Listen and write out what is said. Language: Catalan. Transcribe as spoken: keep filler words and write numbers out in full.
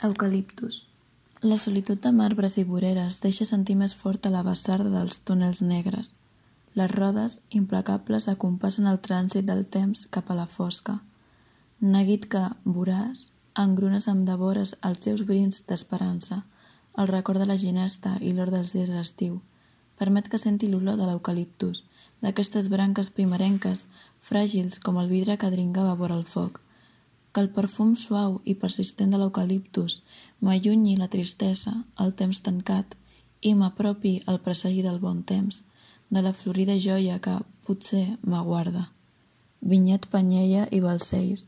Eucaliptus. La solitud de marbres i voreres deixa sentir més forta la bassarda dels túnels negres. Les rodes, implacables, acompassen el trànsit del temps cap a la fosca. Neguit que, voraç, engrunes amb devores els seus brins d'esperança, el record de la ginesta i l'or dels dies d'estiu. Permet que senti l'olor de l'eucaliptus, d'aquestes branques primerenques, fràgils com el vidre que dringava vora el foc. Que el perfum suau i persistent de l'eucaliptus m'allunyi la tristesa, el temps tancat, i m'apropi el presagi del bon temps, de la florida joia que, potser, m'aguarda. Vinyet Panyella i Balcells.